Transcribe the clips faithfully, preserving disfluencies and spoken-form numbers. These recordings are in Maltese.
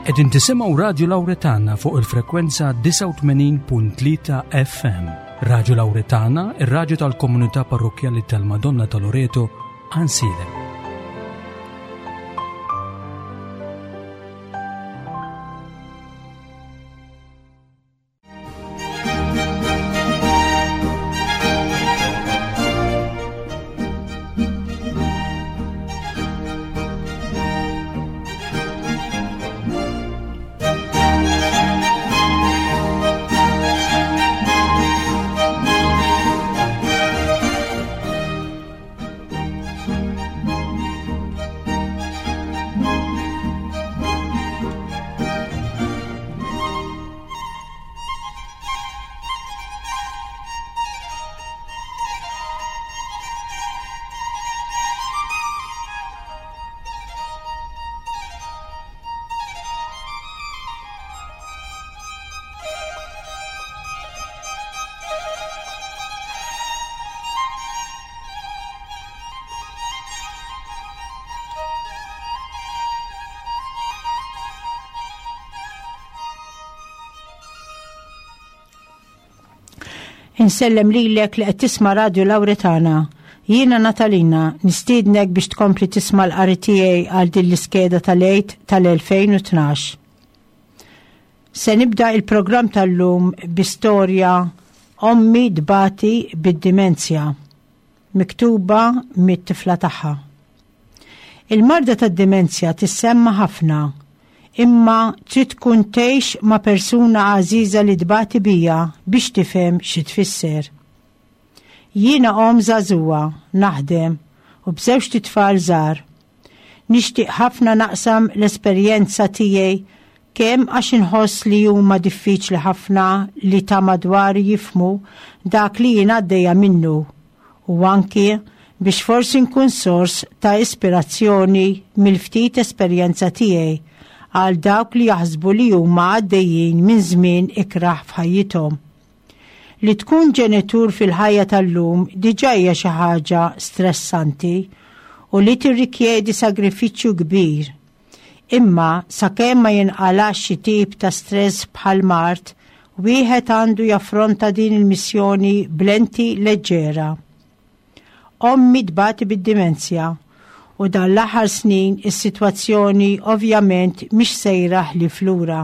Qegħdin tisimgħu Radio Lauretana fuq il-frekwenza disgħa u tmenin punt tlieta F M. Radio Lauretana, ir-radju tal-komunità parrokjali tal-Madonna ta' Loreto, Għajnsielem. Insellem lilek li qed tisma' Radio Lauretana. Jiena Natalina, nistiednek biex tkompli tisma' l-qari tiegħi għal din l-iskeda tal-Għid tal-elfejn u tnax. Se nibda il-programm tal-lum bi storja "Ommi tbati bid-dimenzja", miktuba mit-tifla tagħha. Il-marda tad-dimenzja tissemma ħafna, imma trid tkun tgħix ma' persuna għażiża li tbati bija biex tifhem xi tfisser. Jiena om żagħżugħa, naħdem u b'żewġt itfal żgħar. Nixtieq ħafna naqsam l-esperjenza tiegħi, kemm għax inħoss li huma diffiċli ħafna li ta' madwar jifhmu dak li jien għaddejja minnu u anki biex forsi nkun sors ta' ispirazzjoni mill-ftit esperjenza tiegħi għal dawk li jaħsbu li huma għaddejjin minn żmien ikraħ f'ħajjithom. Li tkun ġenitur fil-ħajja tal-lum diġà hija xi ħaġa stressanti u li tirrikjedi sagrifiċċju kbir. Imma sakemm ma jinqalax xi tip ta' stress bħal mard, wieħed għandu jaffronta din il-missjoni b'lenti leġġera. Ommi tbati bid-dimenzja u dan l-aħħar snin is-sitwazzjoni ovvjament mhix sejra ħlief lura.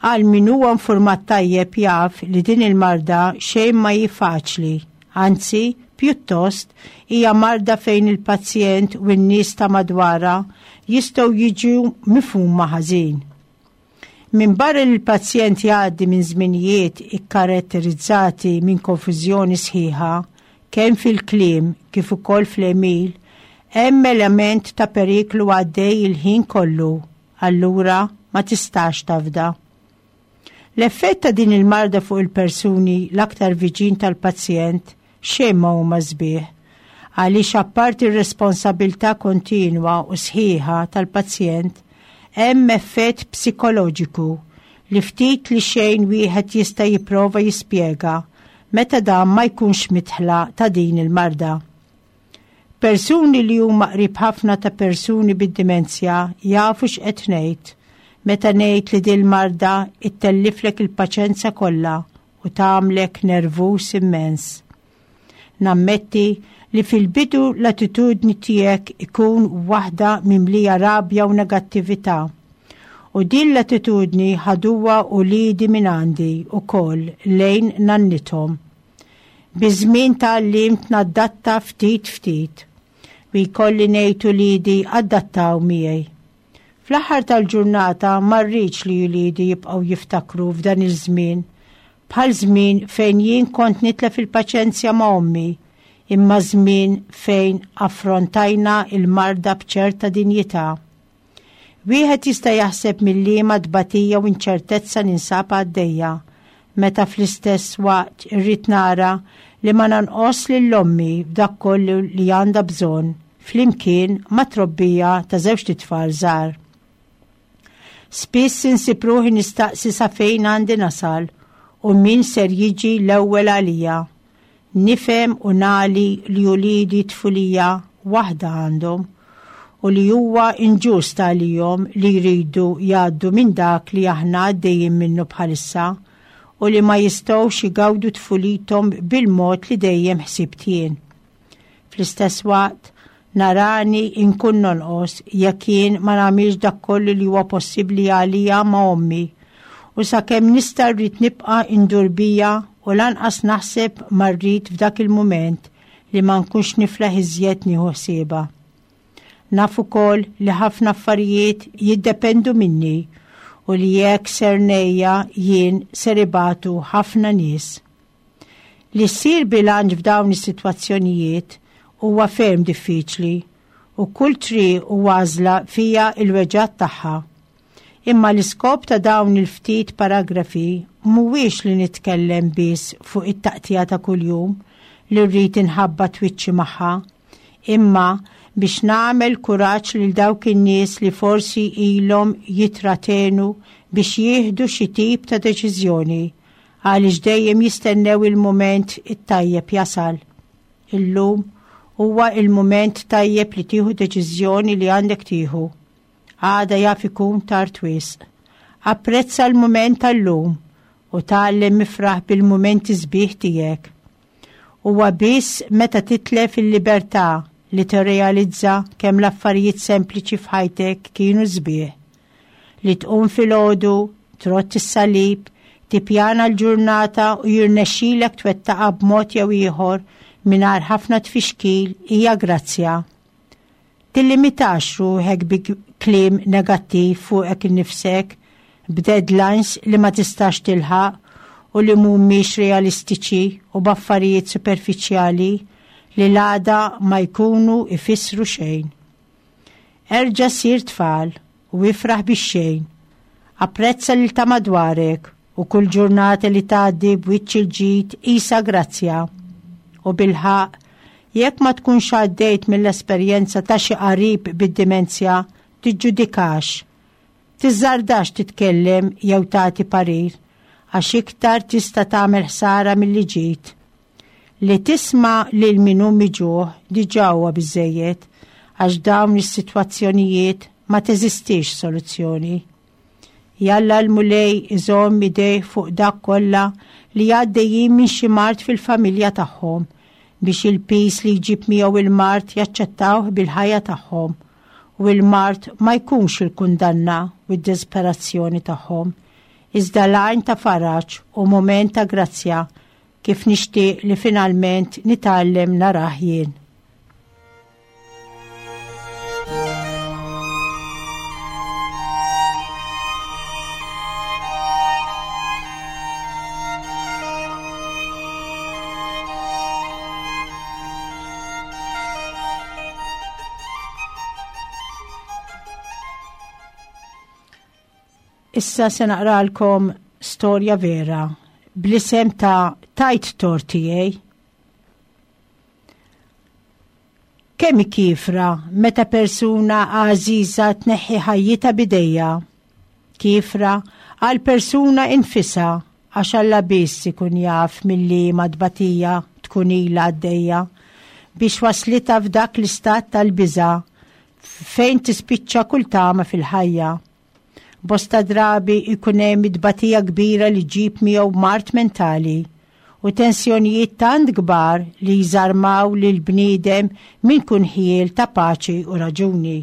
Għal min huwa informat tajjeb jaf li din il-marda xejn ma hi faċli, anzi pjuttost hija marda fejn il-pazjent u n-nies ta' madwarha jistgħu jiġu mifhuma ħażin. Min barra li l-pazjent jgħaddi minn żminijiet ikkaratterizzati minn konfużjoni sħiħa, kemm fil-kliem kif ukoll fl-għemil, hemm element ta' periklu għaddej il-ħin kollu, allura ma tistax tafda. L-effett ta' din il-marda fuq il-persuni l-aktar viċin tal-pazjent xejn ma huma sbieħ, għaliex apparti r-responsabilità kontinwa u sħiħa tal-pazjent, hemm effett psikoloġiku li ftit li xejn wieħed jista' jipprova jispjega meta dan ma jkunx midħla ta' din il-marda. Persuni li huma qrib ħafna ta' persuni bid-dimenzja jafu x'qed ngħid meta ngħid li din marda ittelliflek il-paċenza kollha u tagħmlek nervus immens. Nammetti li fil-bidu l-attitudni tiegħek ikun waħda mimlija rabja u negattività. U din l-attitudni ħaduha uliedi minn għandi ukoll lejn nannithom. Biż-żmien tgħallimt nadatta ftit ftit u jkolli ngħid uliedi adattaw miegħi. Fl-aħħar tal-ġurnata ma rridx li uliedi jibqgħu jiftakru f'dan iż-żmien bħal żmien fejn jien kont nitlef il-paċenzja ma' ommi, imma żmien fejn affrontajna il-marda b'ċerta dinjità. Wieħed jista' jaħseb mil-liema tbatija u inċertezza ninsab għaddejja, meta fl-istess waqt irrid nara li ma nonqos lil ommi f'dak kollu li għandha bżonn flimkien ma' trobbija ta' żewġt itfal żgħar. Spiss insib ruħi nistaqsi sa fejn għandi nasal u min ser jiġi l-ewwel għalija. Nifhem u nali li uliedi tfulija waħda għandhom u li huwa inġust għalihom li jridu jgħaddu minn dak li aħna għaddejjin minnu bħalissa u li ma jistgħux igawdu tfulithom bil-mod li dejjem ħsibt jien. Fl-istess waqt, narani inkun nonqos jekk jien ma nagħmilx dak kollu li huwa possibbli għalija ma' ommi u sakemm nista' rrid nibqa' indur bija u lanqas naħseb ma rrid f'dak il-mument li ma nkunx niflaħ iżjed nieħu ħsiebha. Naf ukoll li ħafna affarijiet jiddependu minni u li jekk ser ngħejja jien ser ibatu ħafna nies. Li ssir bilanċ f'dawn is-sitwazzjonijiet huwa ferm diffiċli u kull triq u għażla fiha il-weġgħat tagħha. Imma l-iskop ta' dawn il-ftit paragrafi mhuwiex li nitkellem biss fuq it-taqtija ta' kuljum li rrid inħabbat wiċċi magħha, imma biex nagħmel kuraġġ lil dawk in-nies li forsi ilhom jitratenu biex jieħdu xi tip ta' deċiżjoni għaliex dejjem jistennew il-mument it-tajjeb jasal. Illum huwa il-mument tajjeb li tieħu deċiżjoni li għandek tieħu. Għada jaf ikun tard wisq. Apprezza l-mument tal-lum u tgħallem ifraħ bil-mumenti sbieħ tiegħek. Huwa biss meta titlef il-libertà li tirrealizza kemm l-affarijiet sempliċi f'ħajtek kienu sbieħ. Li tqum filgħodu, trott is-salib, tippjana l-ġurnata u jirnexxilek twettaqha b'mod jew ieħor mingħajr ħafna tfixkil hija grazzja. Tillimitax ruħek bi kliem negattiv fuqek innifsek, b'deadlines li ma tistax tilħaq u li mhumiex realistiċi u b'affarijiet superfiċjali li l-għada ma jkunu ifissru xejn. Erġa' sir tfal u ifraħ bix-xejn. Apprezza lil ta' madwarek u kull ġurnata li tgħaddi b'wiċċ il-ġid qisha grazzja. U bilħaqq, jekk ma tkunx għaddejt mill-esperjenza ta' xi qarib bid-dimenzja, tiġġudikax. Tiżżardax titkellem jew tagħti parir, għax iktar tista' tagħmel ħsara milli ġid. Li tisma' lil min hu miġugħ diġà huwa biżżejjed, għax dawn is-sitwazzjonijiet ma teżistix soluzzjoni. Jalla l-Mulej iżomm idejh fuq dak kollha li għaddejjin minn xi mard fil-familja tagħhom biex il-pis li jġib miegħu il-mard jaċċettawh bil-ħajja tagħhom u l-mard ma jkunx il-kundanna u d-disperazzjoni tagħhom, iżda l-għajn ta' faraġ u mument ta' grazzja kif nixtieq li finalment nitgħallem narah jien. Issa se naqralkom storja vera bl-isem ta' Tajt Tort tiegħi. Kemm kifra meta persuna għażiża tneħħi ħajjitha bidejja. Kifra għal persuna infisha għax Alla biss ikun jaf milli madbatija tkun ilha għaddejja biex waslitha f'dak l-istat tal-biża' fejn tispiċċa kull tama fil-ħajja. Bosta drabi ikun hemm tbatija kbira li ġib miegħu mard mentali u tensjonijiet tant kbar li jżarmaw lil bniedem minn kun ħiel ta' paċi u raġuni.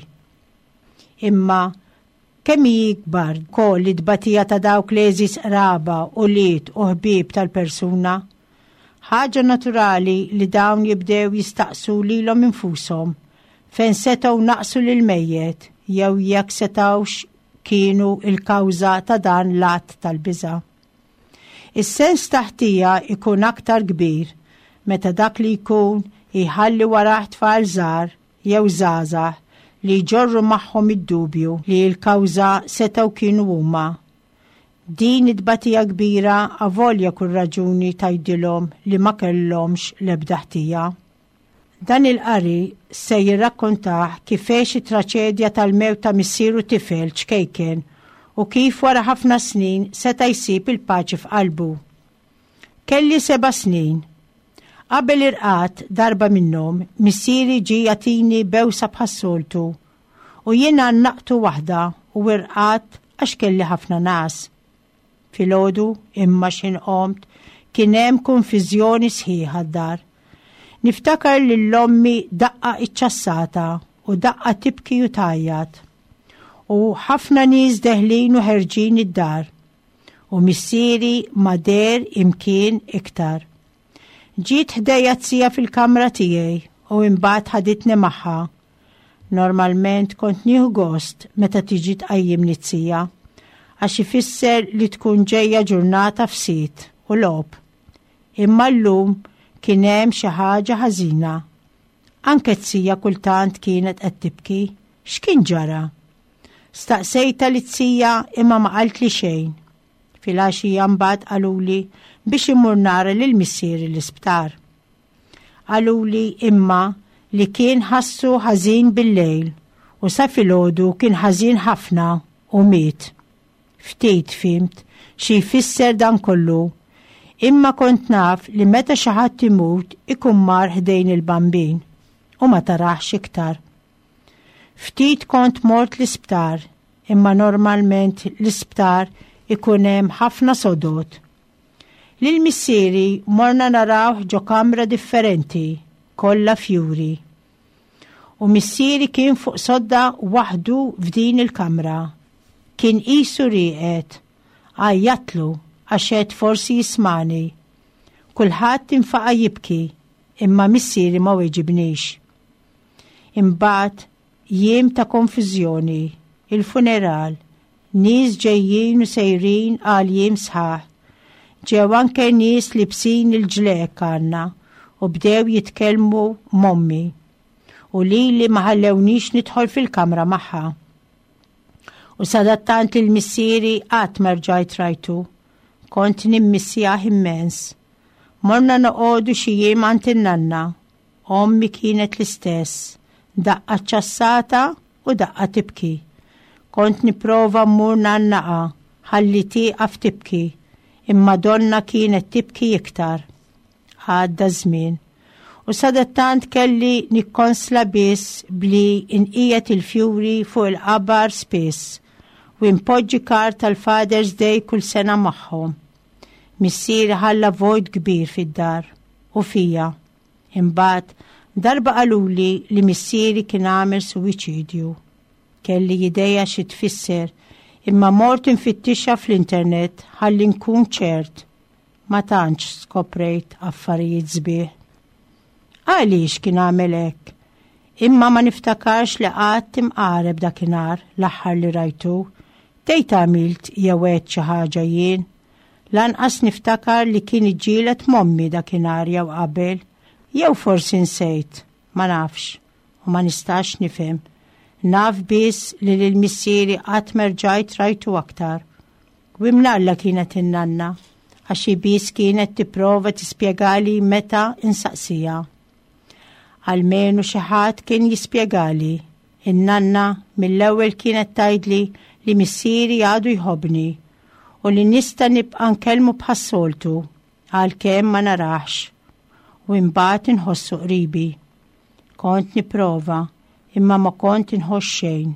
Imma kemm hi kbar koll it-tbatija ta' dawk li għeżież qraba u liet u ħbieb tal-persuna. Ħaġa naturali li dawn jibdew jistaqsu lilhom infushom fejn setgħu naqsu lil mejjet jew jekk setgħux kienu il-kawża ta' dan l-att tal-biża'. Is-sens ta' ħtija ikun aktar kbir meta dak li jkun jħalli warah tfal żgħar jew żgħażagħ li jġorru magħhom id-dubju li l-kawża setgħu kienu huma. Din it-tbatija kbira avolja kull raġuni tgħidilhom li ma kellhomx l-ebda ħtija. Dan il-qari se jirrakkontah kif għex it-traċedja tal-mewt ta' missieru tifel ċkejken u kif wara ħafna snin seta' jsib il-paċi f'qalbu. Kelli seba' snin. Qabel irqad darba minnhom, missieri ġie jagħtini bewsa bħas-soltu U jiena naqtu waħda u irqadt għax kelli ħafna nas. Filgħodu imma x'ħin qomt kien hemm konfiżjoni sħiħa d-dar. Niftakar lil ommi daqqa iċċassata u daqqa tibki u tgħajjat. U ħafna nies deħlin u ħerġin id-dar. U missieri ma deher imkien iktar. Ġiet ħdejja z-zija fil-kamra tiegħi u imbagħad ħaditni magħha. Normalment kont nieħu gost meta tiġi tqajjimni z-zija, għax ifisser li tkun ġejja ġurnata fsit u logħob. Imma llum kien hemm xi ħaġa ħażina. Anke z-zija kultant kienet qed tibki. X'kien ġara? Staqsejta liz-zija imma ma qaltli xejn. Filgħaxija mbagħad qaluli biex immur nara lil missieri l-isptar. Qaluli imma li kien ħassu ħażin bil-lejl u sa filgħodu kien ħażin ħafna u miet. Ftit fhimt xi jfisser dan kollu, imma kont naf li meta xi ħadd imut ikun mar ħdejn il-Bambin u ma taraħx iktar. Ftit kont mort l-isptar, imma normalment l-isptar ikun hemm ħafna sodod. Lil missieri morna narawh ġo kamra differenti, kollha fjuri. U missieri kien fuq sodda waħdu f'din il-kamra. Kien qisu rieqed, għajjatlu għax għedt forsi jismagħni. Kulħadd infaqa' jibki, imma missieri ma weġibnix. Imbagħad jiem ta' konfużjoni, il-funeral, nies ġejjin u sejrin għal jiem sħaħ. Ġew anke nies libsin il-ġlekk għandna u bdew jitkellmu m'ommi u lili ma ħallewniex nidħol fil-kamra magħha. U sadattant lil missieri qatt ma rġajt rajtu. Kont nimmissjah immens. Morna noqogħdu xi jiem għand in-nanna. Ommi kienet l-istess, daqqa ċassata u daqqa tibki. Kont nipprova mmur ngħannaqha ħalli tieqaf tibki, imma donnha kienet tibki iktar. Għadda żmien. U sadattant kelli nikkonsla biss bli inqiegħed il-fjuri fuq il-qabar spiss u npoġġi kard tal-Father's Day kull sena magħhom. Missieri ħalla vojt kbir fid-dar u fija. Imbagħad darba qaluli li missieri kien għamel suwiċidju. Kelli idea xi tfisser, imma mort infittixha fl-internet ħalli nkun ċert. Ma tantx skoprejt affarijiet sbieħ. Għaliex kien għamel hekk? Imma ma niftakarx li qatt imqareb dakinhar l-aħħar li rajtu. Tgħid għamilt jew għedt xi ħaġa jien. Lanqas niftakar li kien iġġieled m'ommi dakinhar jew qabel, jew forsi nsejt, ma nafx u ma nistax nifhem. Naf biss li lil missieri qatt ma rġajt rajtu aktar. U imnalla kienet in-nanna, għax hi biss kienet tipprova tispjegali meta insaqsija. Almenu xi ħadd kien jispjegali. In-nanna mill-ewwel kienet tgħidli li missieri għadu jħobbni u li nista' nibqa' nkellmu bħas-soltu għalkemm ma narax u imbagħad inħossu qribi. Kont nipprova imma ma kont inħoss xejn.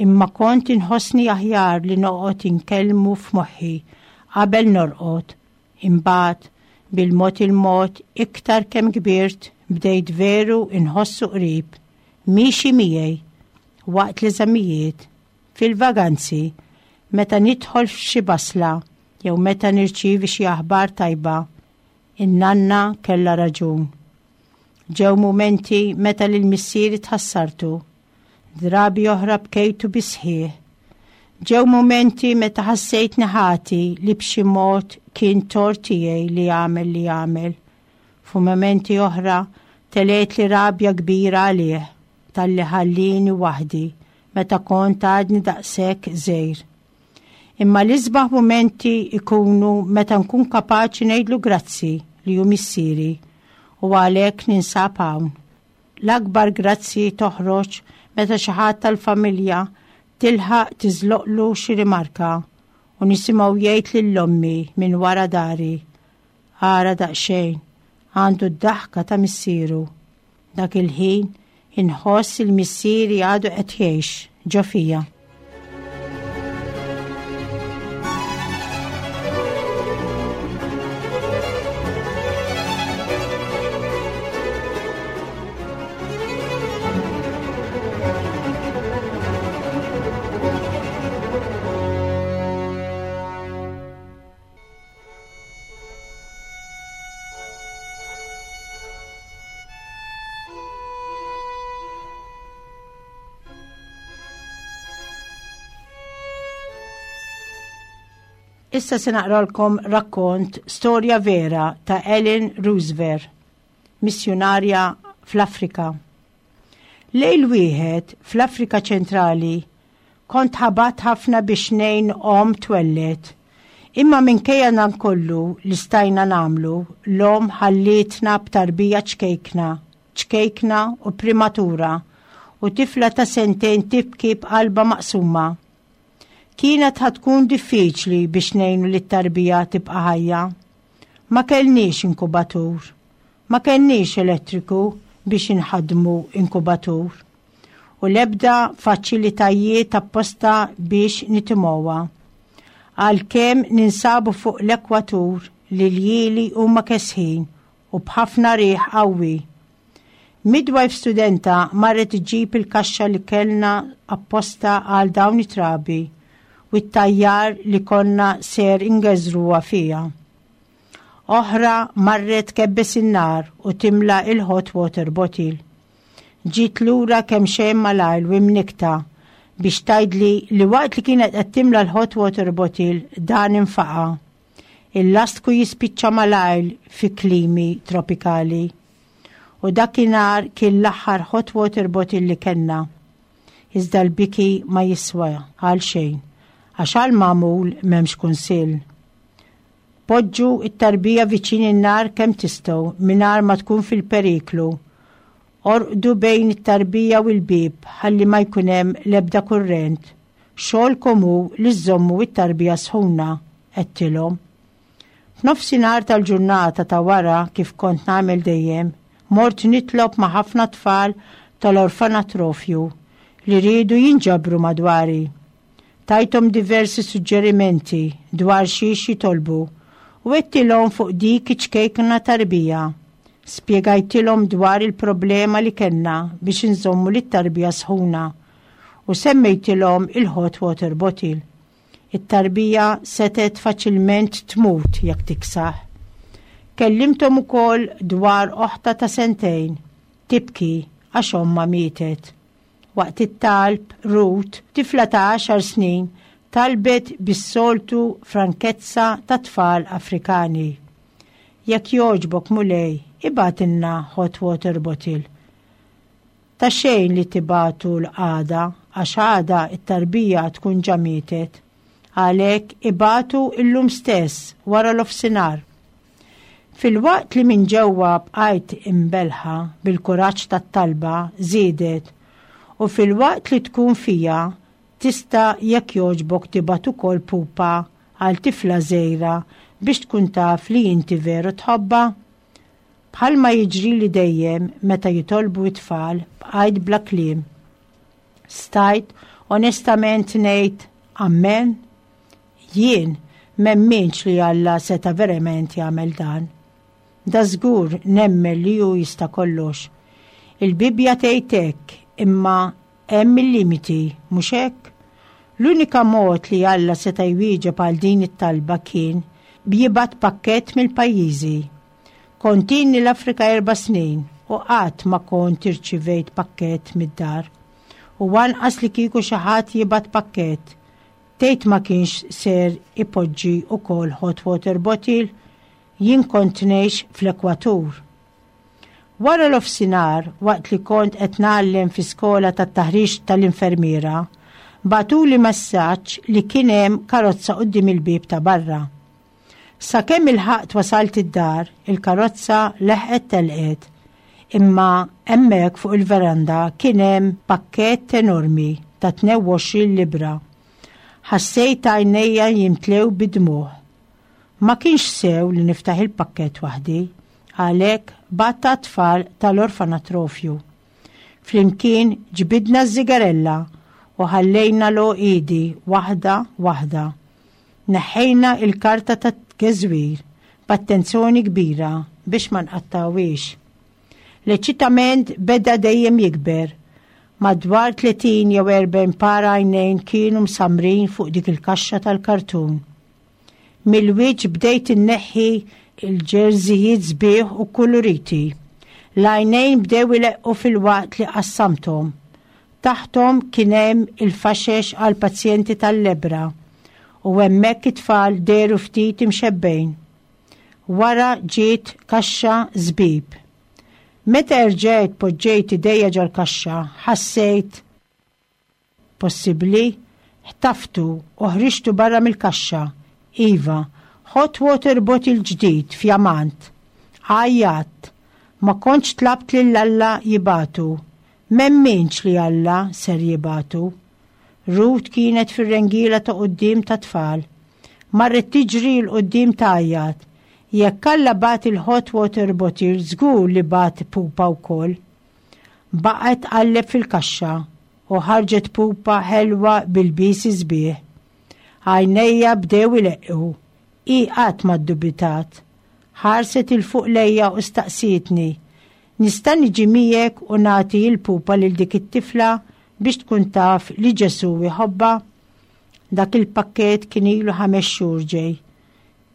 Imma kont inħossni aħjar li noqgħod inkellmu f'moħħi qabel norqod. Imbagħad bil-mod il-mod iktar kemm kbirt bdejt veru inħossu qrib, miexi miegħi waqt l-eżamijiet, fil-vaganzi, meta nidħol f'xi basla jew meta nirċievi xi aħbar tajba. In-nanna kellha raġun. Ġew mumenti meta lil missieri tħassartu, drabi oħra bkejtu bis-sħiħ. Ġew mumenti meta ħassejtni ħati li b'xi mod kien tort tiegħi li għamel li għamel. Fu mumenti oħra telgħetli rabja kbira għalih talli ħallini waħdi meta kont għadni daqshekk żgħir. Imma l-isbaħ mumenti ikunu meta nkun kapaċi ngħidlu grazzi li hu missieri u għalhekk ninsab hawn. L-akbar grazzi toħroġ meta xi ħadd tal-familja tilħaq tiżloqlu xi rimarka u nisimgħu jgħid lil ommi minn wara dari. Ara daqsxejn, għandu d-daħka ta' missieru. Dak il-ħin Inħoss il-missieri għadu qed jgħix ġo fija. Issa se naqralkom rakkont storja vera ta' Ellen Roosevelt, missjunarja fl-Afrika. Lejl wieħed fl-Afrika ċentrali kont ħabat ħafna biex ngħin omm twellet. Imma minkejja dan kollu li stajna nagħmlu, l-omm ħallietna b'tarbija ċkejkna, ċkejkna u prematura, u tifla ta' sentejn tibki b'qalba maqsuma. Kienet ħatkun diffiċli biex ngħinu li t-tarbija tibqa' ħajja. Ma kellniex inkubatur, ma kellniex elettriku biex inħadmu inkubatur, u l-ebda faċilitajiet apposta biex nitimgħuha. Għalkemm ninsabu fuq l-ekwatur li l-jieli huma kesħin u b'ħafna riħ qawwi. Midwife studenta marret iġġib il-kaxxa li kellna apposta għal dawn it-trabi u t-tajjar li konna ser ingeżruha fija. Oħra marret kebbes in-nar u timla il-hot water bottle. Ġiet lura kemm xejn malajr u imnikta biex tgħidli li waqt li kienet qed timla l-hot water bottle dan infaqa. Il-lastku jispiċċa malajr fi klimi tropikali. U dakinhar kien l-aħħar hot water bottle li kellna. Iżda l-biki ma jiswa għal xejn, għax għal magħmul m'hemmx kunsill. Poġġu it-tarbija viċin in-nar kemm tistgħu mingħajr ma tkun fil-periklu. Orqdu bejn it-tarbija u l-bieb ħalli ma jkun hemm l-ebda kurrent. Xogħolkom hu li żżommu it-tarbija sħuna, għedtilhom. F'nofsinhar tal-ġurnata ta' wara kif kont nagħmel dejjem, mort nitlob ma' ħafna tfal tal-orfanatrofju li riedu jinġabru madwari. Tajthom diversi suġġerimenti dwar xiex jitolbu u għedtilhom fuq dik iċ-ċkejkna tarbija. Spjegajtilhom dwar il-problema li kellna biex inżommu lit-tarbija sħuna u semmejtilhom il-hot water bottle. It-tarbija setet faċilment tmut jekk tiksaħ. Kellimthom ukoll dwar oħta ta' sentejn tibki għax ommha mietet. Waqt it-talb, Ruth, tifla ta' għaxar snin, talbet bis-soltu frankezza ta' tfal Afrikani. Jekk jogħġbok Mulej, ibgħatilna hot water bottle. Ta' xejn li tibagħtu l-għada, għax għada it-tarbija tkun ġa mietet. Għalhekk ibagħtu illum stess wara l-ofsinhar. Fil-waqt li minn ġewwa bqajt imbelħa bil-kuraġġ tat-talba żiedet, u fil-waqt li tkun fija tista' jekk jogħġbok tibgħat ukoll pupa għal tifla żgħira biex tkun taf li inti veru tħobbha. Bħalma jiġri li dejjem meta jitolbu it-tfal bqajt bla kliem. Stajt onestament ngħid amen. Jien m'emminx li Alla seta' verament jagħmel dan. Da żgur nemmen li hu jista' kollox. Il-Bibbja tgħid hekk, imma hemm il-limiti, mhux hekk? L-unika mod li Alla seta' jwieġeb għal din it-talba kien b'jibgħat pakkett mill-pajjiżi. Kont ilni l-Afrika erba' snin u qatt ma kont irċivejt pakkett mid-dar. U anqas li kieku xi ħadd jibgħat pakkett, tgħid ma kienx ser ipoġġi ukoll hot water bottle, jien kont ngħix fl-ekwatur. Wara l-ofsinhar, waqt li kont qed ngħallem fi skola tat-taħriġ tal-infermiera, bagħtuli messaġġ li kien hemm karozza quddiem il-bieb ta' barra. Sakemm ilħaqt wasalt id-dar, il-karozza leħqet telqet, imma hemmhekk fuq il-veranda kien hemm pakkett enormi ta' tnejn u għoxrin libra. Ħassejt għajnejja jimtlew bid-dmugħ. Ma kienx sew li niftaħ il-pakkett waħdi, għalhekk bgħatt tfal tal-orfanatrofju. Flimkien ġbidna ż-żigarella u ħallejna l-għoqiedi waħda waħda. Neħħejna il-karta tat-tgeżwir b'attenzjoni kbira biex ma nqattawhiex. L-eċitament beda dejjem jikber. Madwar tletin jew erbgħin para għajnejn kienu msamrin fuq dik il-kaxxa tal-kartun. Mill-wiċċ bdejt inneħħi il-ġerżijiet sbieħ u kuluriti. L-għajnejn bdew ileqqu fil-waqt li qassamthom. Taħthom kien hemm il-faxex għal pazjenti tal-lebra u hemmhekk it-tfal dehru ftit imxebbejn. Wara ġiet kaxxa żbib. Meta erġajt poġġejt idejja ġol-kaxxa, ħassejt possibbli, ħtaftu u ħriġtu barra mill-kaxxa. Iva, hot water bottle ġdid fjamant. Għajjat, ma kontx tlabt lil Alla jibagħtu. M'emminx li Alla ser jibagħtu. Ruth kienet fir-rengila ta' quddiem ta' tfal. Marret tiġri 'l quddiem tgħajjat. Jekk Alla bagħat il-hot water bottle, żgur li bagħat pupa wkoll. Baqgħet tqalleb fil-kaxxa u ħarġet pupa ħelwa bil-bisi sbieħ. Għajnejja bdew ileqqu. Hi qatt ma ddubitat. Ħarset 'il fuq lejja u staqsietni. Nista' niġi miegħek u nagħti l-pupa lil dik it-tifla biex tkun taf li Ġesu jħobbha? Dak il-pakket kien ilu ħames xhur ġej.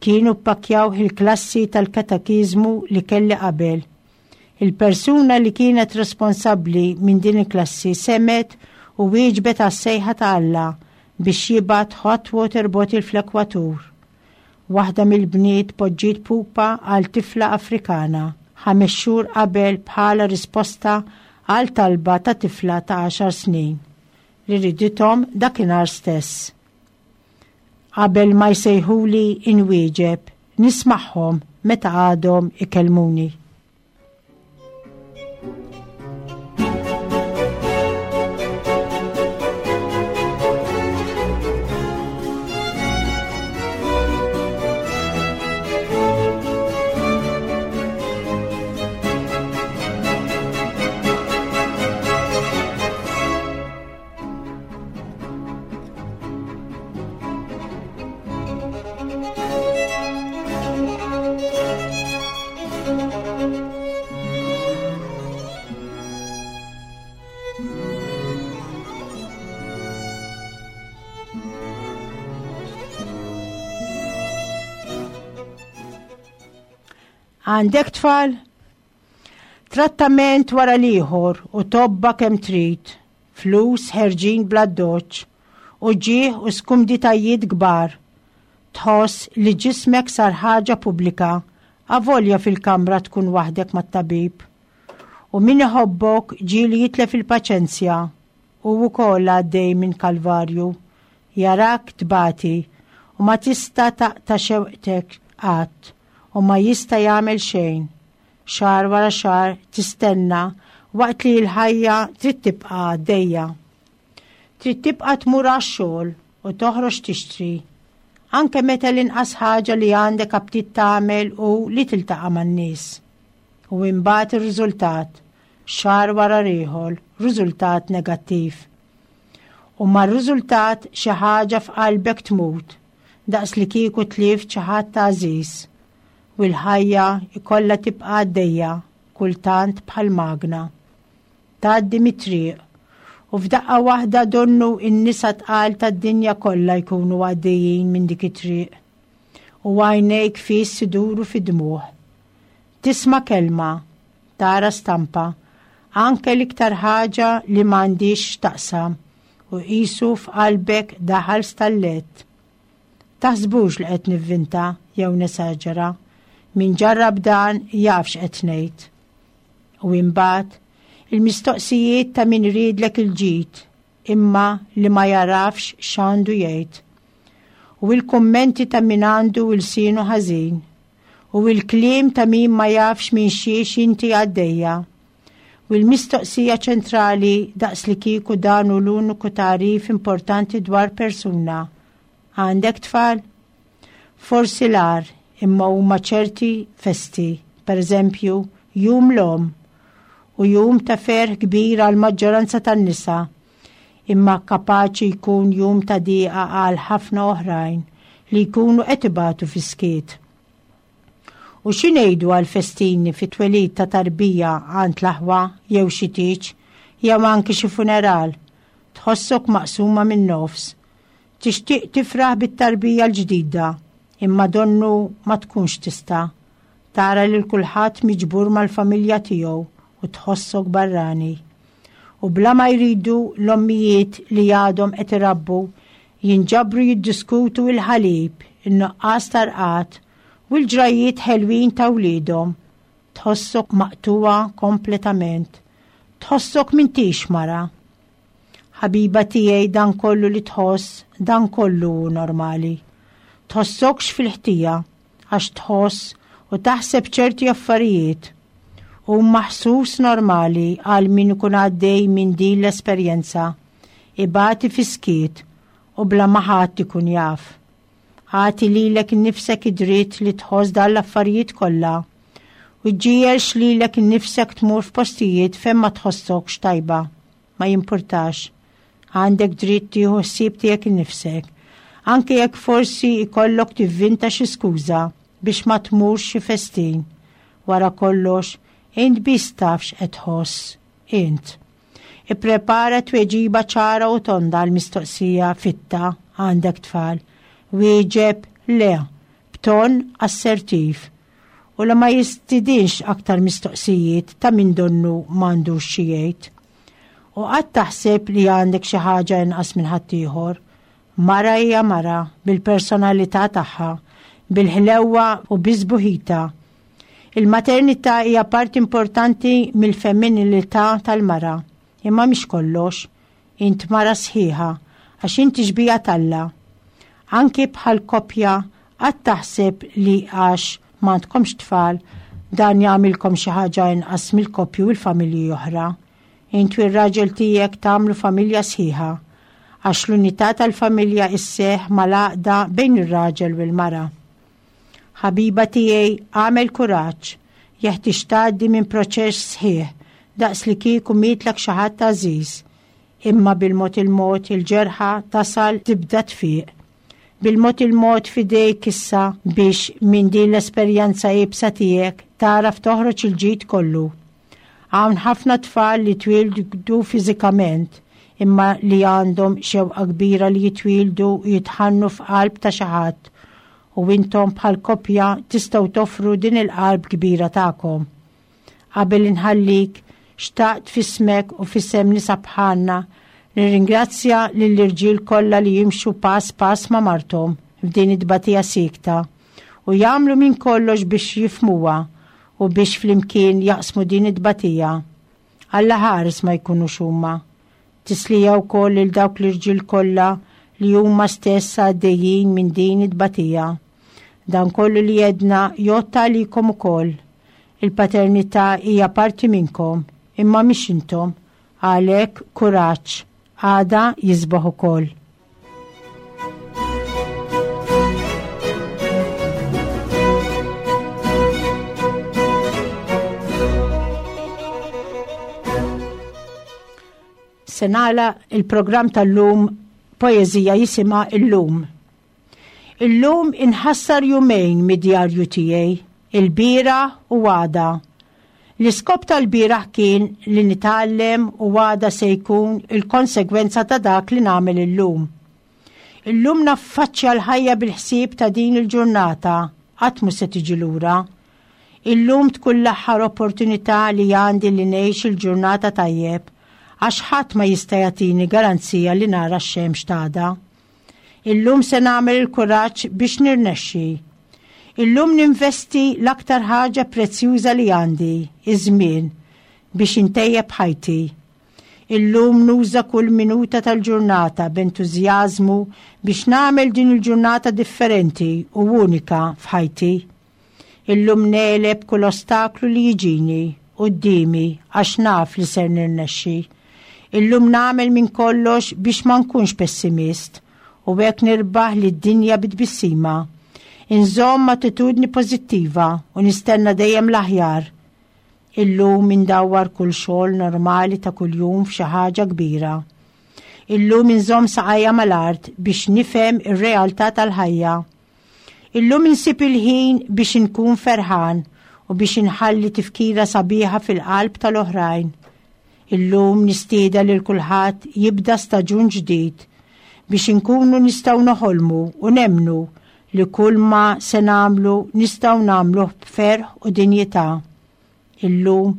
Kienu ppakjaw il-klassi tal-katekiżmu li kelli qabel. Il-persuna li kienet responsabbli minn din il-klassi semgħet u wieġbet għas-sejħa ta' Alla biex jibgħat hot water bottle fl-ekwatur. Waħda mill-bniet poġġiet pupa għal tifla Afrikana ħames xhur qabel bħala risposta għal talba ta' tifla ta' għaxar snin li ridithom dakinhar stess. Qabel ma jsejħuli inwieġeb, nismagħhom meta għadhom ikellmuni. Għandek tfal? Trattament wara l-ieħor u tobba kemm trid, flus ħerġin bla doċ, u ġieħ u skumditajiet kbar. Tħoss li ġismek sar ħaġa pubblika, avolja fil-kamra tkun waħdek mat-tabib. U min iħobbok ġieli jitlef il-paċenzja u wkoll għaddej minn kalvarju, jarak tbati u ma tista' taqta' xewqtek qatt u ma jista' jagħmel xejn. Xahar wara xahar tistenna waqt li l-ħajja trid tibqa' għaddejja. Trid tibqa' tmur għax-xogħol u toħroġ tixtri. Anke meta l-inqas ħaġa li għandek aptit tagħmel u li tiltaqa' man-nies. U imbagħad ir-riżultat, xahar wara ieħor, riżultat negattiv. U mar-riżultat xi ħaġa f'qalbek tmut, daqs li kieku tlift xi ħadd għażiż. U l-ħajja ikollha tibqa' għaddejja kultant bħal magna. Tgħaddi mit-triq u f'daqqa waħda donnu n-nisa tqal tad-dinja kollha jkunu għaddejjin minn dik it-triq. U għajnejk fis iduru fid-dmugħ. Tisma' kelma, tara stampa, anke l-iktar ħaġa li m'għandix x'taqsam u qisu f'qalbek daħal stallet. Taħsbux li qed nivvinta jew nesaġera. Min ġarrab dan jaf x'qed ngħid. U imbagħad il-mistoqsijiet ta' min iridlek il-ġid imma li ma jarafx x'għandu jgħid. U il-kummenti ta' min għandu ilsienu ħażin. U il-kliem ta' min ma jafx minn xiex inti għaddejja. U l-mistoqsija ċentrali daqs li kieku dan hu l-uniku tagħrif importanti dwar persuna. Għandek tfal? Forsi l-agħar, imma huma ċerti festi, per eżempju, jum l-omm. u jum ta' ferħ kbir għal maġġoranza tan-nisa, imma kapaċi jkun jum ta' diqa għal ħafna oħrajn li jkunu qed ibatu fis-skiet. U xi ngħidu għal festini fi twelid ta' tarbija għand l-aħwa jew xi tieġ jew anki xi funeral, tħossok maqsuma min-nofs. Tixtieq tifraħ bit-tarbija l-ġdida, imma donnu ma tkunx tista'. Tara lil kulħadd miġbur mal-familja tiegħu u tħossok barrani. U bla ma jridu l-ommijiet li għadhom qed irabbu jinġabru jiddiskutu il-ħalib, in-nuqqas tarqat u l-ġrajiet ħelwin ta' wliedhom. Tħossok maqtuwa kompletament. Tħossok m'intix mara. Ħabiba tiegħi, dan kollu li tħoss, dan kollu hu normali. Tħossokx fil-ħtija għax tħoss u taħseb ċerti affarijiet. U maħsus normali għal min ikun għaddej minn din l-esperjenza, ibati fis-skiet u bla ma ħadd ikun jaf. Agħti lilek innifsek id-dritt li tħoss dan l-affarijiet kollha u ġġiegħelx lilek innifsek tmur f'postijiet fejn ma tħossokx tajba. Ma jimpurtax. Għandek dritt tieħu ħsieb tiegħek innifsek, anke jekk forsi ikollok tivvinta xi skuża biex ma tmurx xi festin. Wara kollox, int biss taf x'qed tħoss, int. Ipprepara tweġiba ċara u tonda għal mistoqsija fitta għandek tfal. Wieġeb le, b'ton assertiv. U la ma jistidinx aktar mistoqsijiet ta' min donnu m'għandux xi jgħid. U qatt taħseb li għandek xi ħaġa inqas minn ħaddieħor. Mara hija mara bil-personalità tagħha, bil-ħlewwa u biż-sbuħita. Il-maternità hija parti importanti mill-femminilità tal-mara, imma mhix kollox. Int mara sħiħa għax inti xbieha t'Alla. Anki bħal koppja qatt taħseb li għax m'għandkomx tfal dan jagħmilkom xi ħaġa inqas mill-koppji u l-familji oħra. Int u r-raġel tiegħek tagħmlu familja sħiħa għax l-unità tal-familja isseħ mal-għaqda bejn ir-raġel u l-mara. Ħabiba tiegħi, għamel kuraġġ, jeħtieġ tgħaddi minn proċess sħiħ daqs li kieku mietlek xi ħadd għażiż, imma bil-mod il-mod il-ġerħa tasal tibda tfiq. Bil-mod il-mod fidejk issa biex minn din l-esperjenza iebsa tiegħek tagħraf toħroġ il-ġid kollu. Hawn ħafna tfal li twildu fiżikament imma li għandhom xewqa kbira li jitwildu u jitħannu f'qalb ta' xi ħadd, u intom bħal koppja tistgħu toffru din il-qalb kbira tagħkom. Qabel inħallik, xtaqt f'ismek u f'isem nisa bħalna nirringrazzja lill-irġiel kollha li jimxu pass pass ma' marthom f'din it-tbatija sikta u jagħmlu minn kollox biex jifhmuha u biex flimkien jaqsmu din it-tbatija. Alla ħares ma jkunux huma. Tislija wkoll lil dawk l-irġiel kollha li huma stess għaddejjin minn din it-tbatija. Dan kollu li jedna jgħodd għalikom ukoll. Il-paternità hija parti minnkom, imma mhix intom. Għalhekk kuraġġ, għada jisbaħ ukoll. Se nagħlaq il-programm tal-lum poeżija jisimha Illum. Illum inħassar jumejn mid-djarju tiegħi, il-bieraħ u għada. L-iskop tal-bieraħ kien li nitgħallem u għada se jkun il-konsegwenza ta' dak li nagħmel illum. Illum naffaċċja l-ħajja bil-ħsieb ta' din il-ġurnata, qatt mhu se tiġi lura. Illum tkun l-aħħar opportunità li għandi li ngħix il-ġurnata tajjeb, għax ħadd ma jista' jagħtini garanzija li nara x-xemx t'għada. Illum se nagħmel il-kuraġġ biex nirnexxi. Illum ninvesti l-aktar ħaġa prezzjuża li għandi, iż-żmien, biex intejjeb ħajti. Illum nuża kull minuta tal-ġurnata b'entużjażmu biex nagħmel din il-ġurnata differenti u unika f'ħajti. Illum negħleb kull ostaklu li jiġini quddiemi għax naf li ser nirnexxi. Illum nagħmel minn kollox biex ma nkunx pessimist u hekk nirbaħ lid-dinja bit-tbissima. Inżomm attitudni pożittiva u nistenna dejjem l-aħjar. Illum indawwar kull xogħol normali ta' kuljum f'xi ħaġa kbira. Illum inżomm saqajja mal-art biex nifhem ir-realtà tal-ħajja. Illum insib il-ħin biex inkun ferħan u biex inħalli tifkira sabiħa fil-qalb tal-oħrajn. Illum nistieden lil kulħadd jibda staġun ġdid biex inkunu nistgħu noħolmu u nemmnu li kull ma se nagħmlu nistgħu nagħmluh b'ferħ u dinjità. Illum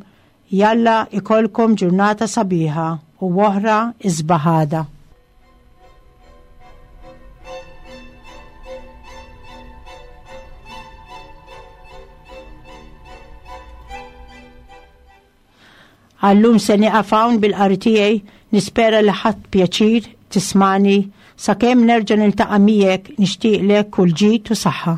jalla ikollkom ġurnata sabiħa u oħra isbaħ għada. Għallum se nieqaf hawn bil-qari tiegħi, nispera li ħadt pjaċir tismani sakemm nerġa' niltaqa' miegħek nixtieqlek kull ġid u saħħa.